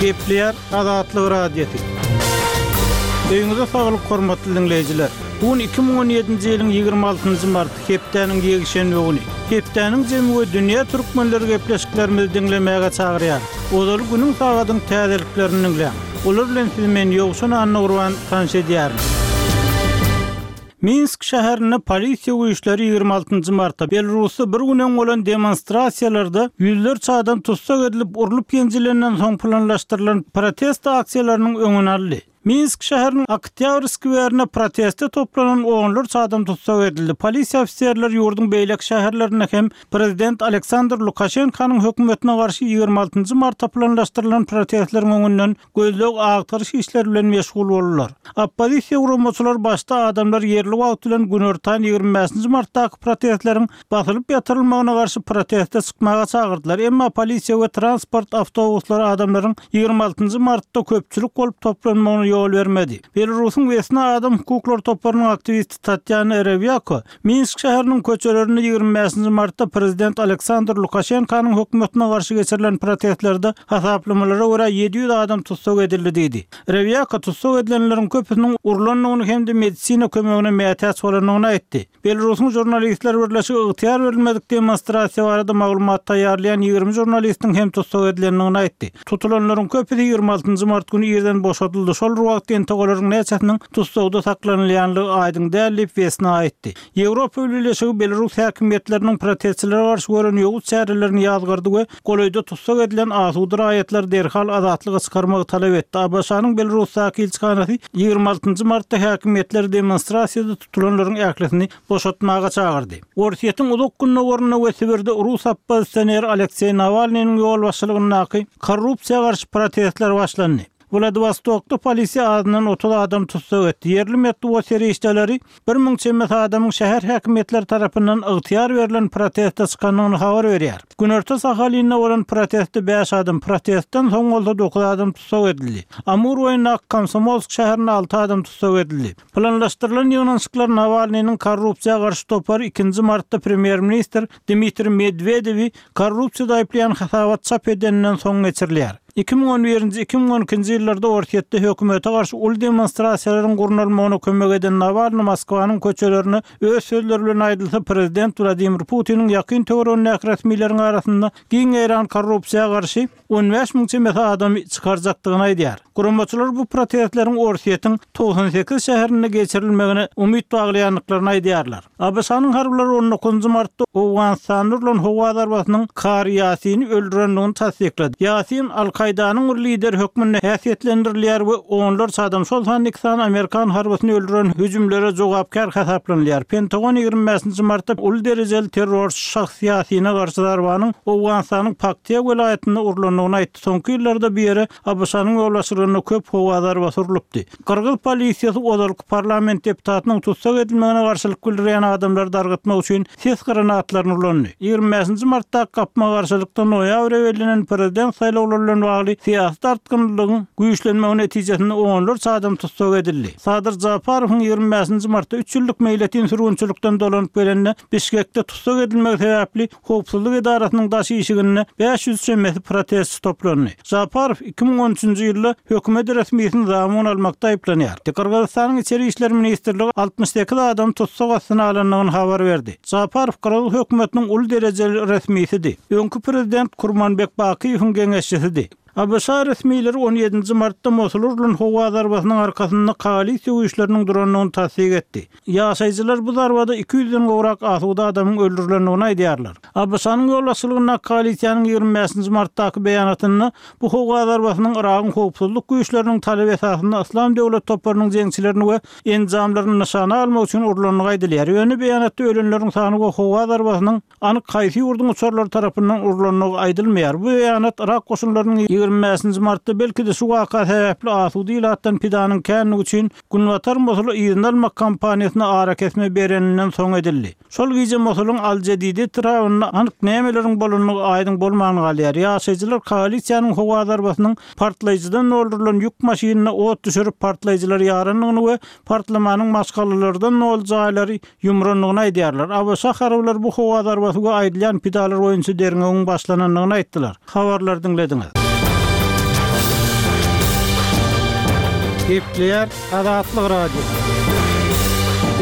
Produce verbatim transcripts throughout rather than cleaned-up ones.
Gepleýär Azatlyk Radiosy. Öýüňize saglyk hormatly diňleýjiler. Bu gün iki müň on ýedinji ýylyň ýigrimi altynjy marty, hepdäniň ýekşenbe güni. Hepdäniň jemi we dünýä türkmenleri gepleşiklerimizi diňlemäge çagyrýar. Ozaly günüň sagadyň täzeliklerini diňläň. Olar bilen sizi men Ýowşan Annagurban tanyş edýärin. Minsk şäherinde polisiýa güýçleri ýigrimi altynjy martda Belarusda bir gün öň bolan demonstrasiýalarda ýüzlerçe adam tussag edilip urlup ýenjilenden soň planlaşdyrylan protest aksiýalarynyň öňüni aldy. Minsk şäheriniň Oktýabr skwerinde proteste toplanan onlarça adam tussag edildi. Polisiýa ofiserleri ýurduň beýleki şäherlerinde hem prezident Aleksandr Lukaşenkonyň hökümetine garşy ýigrimi altynjy martda planlaşdyrylan protestleriň öňünden gözleg agtaryş işleri bilen meşgul boldular. Oppozisiýa guramaçylar başda adamlar ýerli wagt bilen günortan ýigrimi bäşinji martdaky protestleriň basylyp ýatyrylmagyna garşy proteste çykmaga çagyrdylar. Emma polisiýa we transport awtobuslary adamlaryň ýigrimi altynjy martda köpçülik bolup toplanmagyna ýol bermedi. Belarusyň Wesna adam hukuklary toparynyň aktiwisti Tatýana Rewýako Minsk şäheriniň köçelerinde ýigrimi bäşinji martda prezident Aleksandr Lukaşenkonyň hökümetine garşy geçirilen protestlerde hasaplamalara görä ýedi ýüz adam tussag edildi diýdi. Rewýako tussag edilenleriň köpüsiniň urlandygyny hem-de medisina kömegine mätäç bolandygyny aýtdy. Belarusyň žurnalistler birleşigi ygtyýar berilmedik demonstrasiýa barada maglumat taýýarlaýan ýigrimi žurnalistiň hem tussag edilendigini aýtdy. Tutulanlaryň köpüsi ýigrimi altynjy mart güni irden boşadyldy. Şol bir wagtda entek olaryň näçesiniň tussagda saklanylýanlygy aýdyň däl diýip Wesna aýtdy. Ýewropa Birleşigi Belarus häkimiýetleriniň protestçilere garşy gören ýowuz çärelerini ýazgardy we golaýda tussag edilen asuda raýatlary derhal azatlyga çykarmagy talap etdi. A B Ş-nyň Belarusdaky ilçihanasy ýigrimi altynjy martda häkimiýetleri demonstrasiýada tutulanlaryň ählisini boşatmaga çagyrdy. Orsýetiň uzak gündogarynda we Sibirde rus oppozisioneri Alekseý Nawalnynyň ýolbaşçylygyndaky korrupsiýa garşy protestler başlandy. Wladivostokda polisiýa azyndan otuz adam tussag etdi. Ýerli metbugat serişdeleri bir müň çemesi adamyň şäher häkimiýetleri tarapyndan ygtyýar berlen proteste çykandygyny habar berýär. Günorta Sahalinda bolan protestde bäş adam, protestden soň bolsa dokuz adam tussag edildi. Amur boýundaky Komsomolsk şäherinde alty adam tussag edildi. Planlaşdyrylan ýygnanyşyklar Nawalnynyň korrupsiýa garşy topary ikinji martda premýer-ministr Dmitriý Medwedewi korrupsiýada aýyplaýan hasabat çap edeninden soň geçirilýär. Iki müň on birinji, iki müň on ikinji ýyllarda Orsýetde hökümete garşy uly demonstrasiýalaryň gurnalmagyna kömek eden Nawalny Moskwanyň köçelerine öz sözleri bilen aýdylsa prezident Wladimir Putiniň ýakyn töweregindäki resmileriň arasynda giň ýaýran korrupsiýa garşy on bäş müň çemesi adamy çykarjakdygyny aýdýar. Guramaçylar bu protestleriň Orsýetiň togsan sekiz şäherinde geçirilmegine umyt baglaýandyklaryny aýdýarlar. A B Ş-nyň harbylary on dokuzynjy martda Owganystanda urlan howa zarbasynyň Kari Ýasini öldürendigini tassyklady. Ýasin Al-Kaýdanyň bir lideri hökmünde häsiýetlendirilýär we onlarça adam, şol sanda iki sany Amerikan harbysyny öldüren hüjümlere jogapkär hasaplanylýar. Pentagon ýigrimi bäşinji martda uly derejeli terrorçy şahs Ýasine garşy zarbanyň Owganystanyň Paktiýa welaýatynda urlandygyny aýtdy. Soňky ýyllarda bu ýere A B Ş-nyň ýolbaşçylygynda köp howa zarbasy urlupdy. Gyrgyz polisiýasy ozalky parlament deputatynyň tussag edilmegine garşylyk bildirýän adamlary dargatmak üçin ses granatlaryny ulandy. Ýigrimi bäşinji martdaky gapma garşylykda noýabra bellenen prezident saýlawlary bilen bagly syýasy dartgynlygyň güýçlenmegi netijesinde onlarça adam tussag edildi. Sadyr Japarowyň ýigrimi bäşinji martda üç ýyllyk meýletin sürgünçilikden dolanyp gelende Bişkekde tussag edilmegi sebäpli howpsuzlyk edarasynyň daş işiginde bäş ýüz çemesi protestçi toplandy. Japarow iki müň on üçünji ýylda hökümet resmisini zamun almakda aýyplanýar. Gyrgyzystanyň İçeri İşler Ministrligi altmyş sekiz adam tussag astyna alandygyny habar berdi. Japarow Gyrgyz hökümetiniň uly derejeli resmisidi. Öňki prezident Kurmanbek Bakyýewiň geňeşçisidi. A B Ş resmileri on ýedinji martda Mosul urlan howa zarbasynyň arkasynda koalisiýa güýçleriniň durandygyny tassyk etdi. Ýaşaýjylar bu zarbada iki ýüzden gowrak asuda adamyň öldürilendigini aýdýarlar. A B Ş-nyň ýolbaşçylygyndaky koalisiýanyň ýigrimi bäşinji martdaky beýanatynda bu howa zarbasynyň Yragyň howpsuzlyk güýçleriniň talap esasynda Yslam döwlet toparynyň jeňçilerini we enjamlaryny nyşana almak üçin urlandygy aýdylýar. Ýöne beýanatda ölenleriň sany we howa zarbasynyň anyk haýsy ýurduň uçarlary tarapyndan urlandygy aýdylmaýar. Bu beýanat Yrak goşunlarynyň ýigrimi bäşinji martda belki-de şu waka sebäpli asuda ilatdan pidanyň känligi üçin Günbatar Mosuly yzyna almak kampaniýasyna ara kesme bereninden soň edildi. Şol gije Mosulyň Al-Jedide etrabynda anyk nämeleriň bolandygy aýdyň bolman galýar. Ýaşaýjylar koalisiýanyň howa zarbasynyň partlaýjydan doldurylan ýük maşynyna ot düşürip partlaýjylar ýarandygyny we partlamanyň maşgalalardan doly jaýlary ýumrandygyny aýdýarlar. A B Ş harbylary bu howa zarbasy we aýdylýan pidalar boýunça derňewiň başlanandygyny aýtdylar. Habarlar diňlediňiz. Gepleýär Azatlyk Radiosy.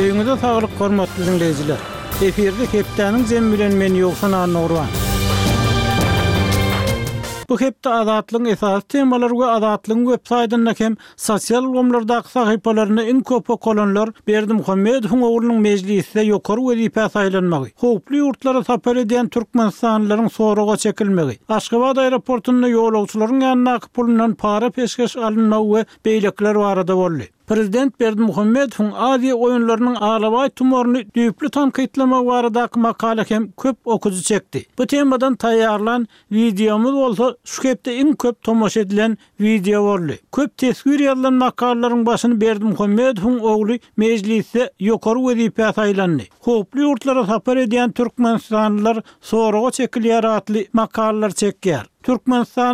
Öýüňize saglyk hormatly diňleýjiler. Efirde hepdäniň jemi bilen men Ýowşan Annagurban. Bu hepde Azatlygyň esasy temalary we Azatlygyň web saýtynda hem sosial ulgamlardaky sahypalarynda iň köp okalanlar Berdimuhamedowyň oglunyň mejlisde ýokary wezipä saýlanmagy, howply ýurtlara sapar edýän türkmenistanlylaryň soraga çekilmegi, Aşgabat aeroportunda ýolagçylaryň ýanyndaky pulundan para peşgeş alynmagy we beýlekiler barada boldy. Prezident Berdimuhamedowyň Aziýa oýunlarynyň alabaý tumaryny düýpli tankytlamagy baradaky makala hem köp okyjy çekdi. Bu temadan taýýarlan wideomyz bolsa şu hepde iň köp tomaşa edilen wideo boldy. Köp teswir ýazylan makalalaryň başyny Berdimuhamedowyň ogly mejlisde ýokary wezipä saýlandy. Howply ýurtlara sapar edýän türkmenistanlylar soraga çekilýär atly makalalar çekýär. Türkmenistan